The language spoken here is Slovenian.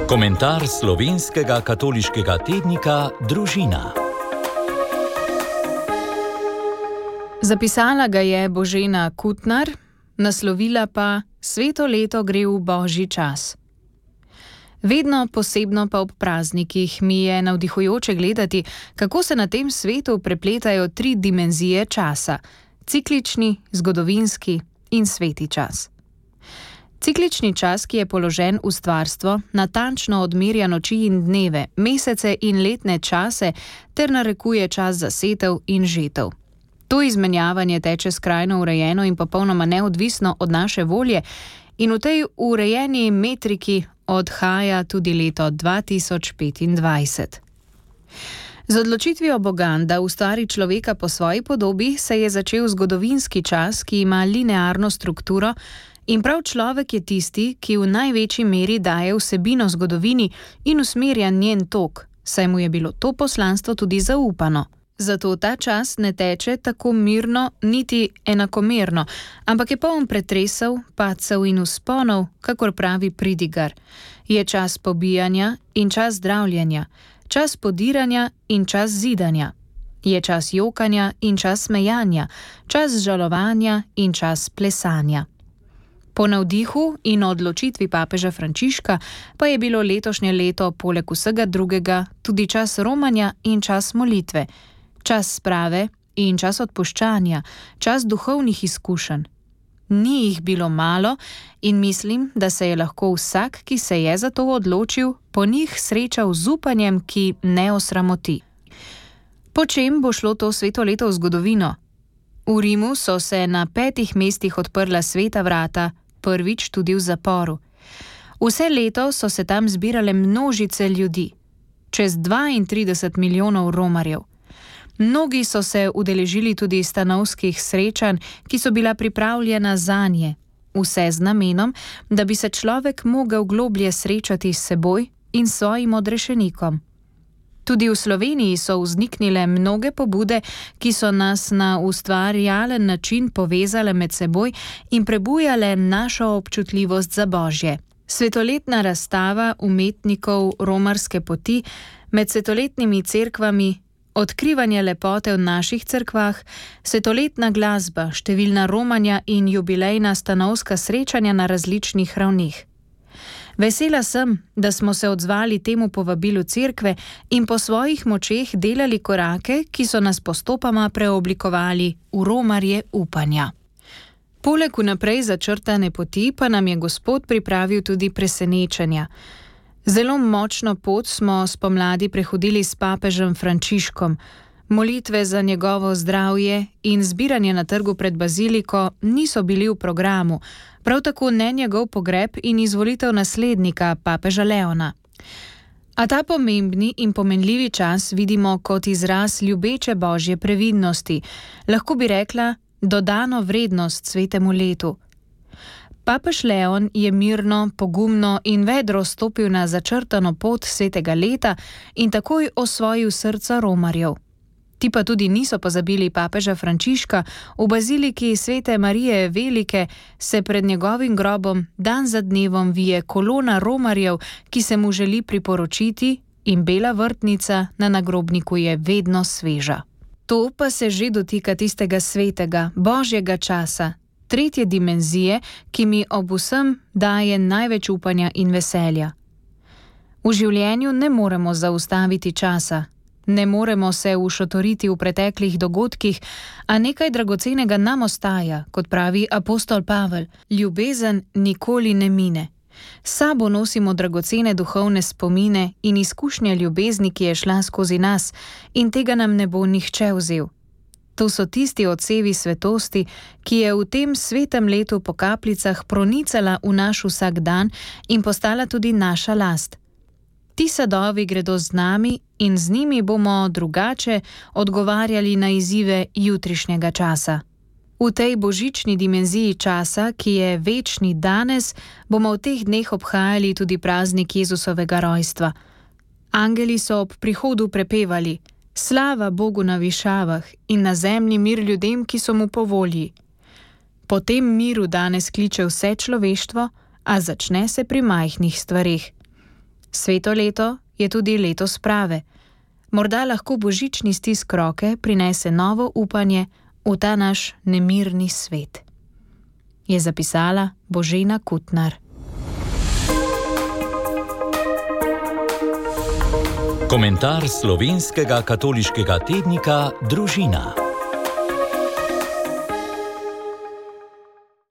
Komentar slovenskega katoliškega tednika Družina. Zapisala ga je Božena Kutnar, naslovila pa Sveto leto gre v božji čas. Vedno posebno pa ob praznikih mi je navdihujoče gledati, kako se na tem svetu prepletajo 3 dimenzije časa: ciklični, zgodovinski in sveti čas. Ciklični čas, ki je položen v stvarstvo, natančno odmerja noči in dneve, mesece in letne čase ter narekuje čas za setev in žetev. To izmenjavanje teče skrajno urejeno in popolnoma neodvisno od naše volje in v tej urejeni metriki odhaja tudi leto 2025. Z odločitvijo Boga, da ustvari človeka po svoji podobi, se je začel zgodovinski čas, ki ima linearno strukturo, in prav človek je tisti, ki v največji meri daje vsebino zgodovini in usmerja njen tok, saj mu je bilo to poslanstvo tudi zaupano. Zato ta čas ne teče tako mirno niti enakomerno, ampak je poln pretresov, padcev in vzponov, kakor pravi pridigar. Je čas pobijanja in čas zdravljenja, čas podiranja in čas zidanja. Je čas jokanja in čas smejanja, čas žalovanja in čas plesanja. Po navdihu in odločitvi papeža Frančiška pa je bilo letošnje leto poleg vsega drugega tudi čas romanja in čas molitve, čas sprave in čas odpuščanja, čas duhovnih izkušenj. Ni jih bilo malo in mislim, da se je lahko vsak, ki se je za to odločil, po njih srečal z upanjem, ki ne osramoti. Po čem bo šlo to sveto leto v zgodovino? V Rimu so se na 5 mestih odprla sveta vrata, prvič tudi v zaporu. Vse leto so se tam zbirale množice ljudi, čez 32 milijonov romarjev. Mnogi so se udeležili tudi stanovskih srečanj, ki so bila pripravljena zanje, vse z namenom, da bi se človek mogel globlje srečati s seboj in svojim odrešenikom. Tudi v Sloveniji so vzniknile mnoge pobude, ki so nas na ustvarjalen način povezale med seboj in prebujale našo občutljivost za Božje. Svetoletna razstava umetnikov romarske poti med svetoletnimi cerkvami, odkrivanje lepote v naših cerkvah, svetoletna glasba, številna romanja in jubilejna stanovska srečanja na različnih ravneh. Vesela sem, da smo se odzvali temu povabilu cerkve in po svojih močeh delali korake, ki so nas postopoma preoblikovali v romarje upanja. Poleg vnaprej začrtane poti pa nam je Gospod pripravil tudi presenečenja. Zelo močno pot smo spomladi prehodili s papežem Frančiškom. Molitve za njegovo zdravje in zbiranje na trgu pred baziliko niso bili v programu, prav tako ne njegov pogreb in izvolitev naslednika, papeža Leona. A ta pomembni in pomenljivi čas vidimo kot izraz ljubeče Božje previdnosti, lahko bi rekla dodano vrednost svetemu letu. Papež Leon je mirno, pogumno in vedro stopil na začrtano pot svetega leta in takoj osvojil srca romarjev. Ti pa tudi niso pozabili papeža Frančiška. V baziliki svete Marije Velike se pred njegovim grobom dan za dnevom vije kolona romarjev, ki se mu želi priporočiti, in bela vrtnica na nagrobniku je vedno sveža. To pa se že dotika tistega svetega, božjega časa, 3. dimenzije, ki mi ob vsem daje največ upanja in veselja. V življenju ne moremo zaustaviti časa. Ne moremo se ušotoriti v preteklih dogodkih, a nekaj dragocenega nam ostaja, kot pravi apostol Pavel. Ljubezen nikoli ne mine. S sabo nosimo dragocene duhovne spomine in izkušnje ljubezni, ki je šla skozi nas, in tega nam ne bo nihče vzel. To so tisti odsevi svetosti, ki je v tem svetem letu po kapljicah pronicala v naš vsakdan in postala tudi naša last. Ti sadovi gredo z nami in z njimi bomo drugače odgovarjali na izzive jutrišnjega časa. V tej božični dimenziji časa, ki je večni danes, bomo v teh dneh obhajali tudi praznik Jezusovega rojstva. Angeli so ob prihodu prepevali: Slava Bogu na višavah in na zemlji mir ljudem, ki so mu po volji. Po tem miru danes kliče vse človeštvo, a začne se pri majhnih stvareh. Sveto leto je tudi leto sprave. Morda lahko božični stisk roke prinese novo upanje v ta naš nemirni svet. Je zapisala Božena Kutnar. Komentar slovenskega katoliškega tednika Družina.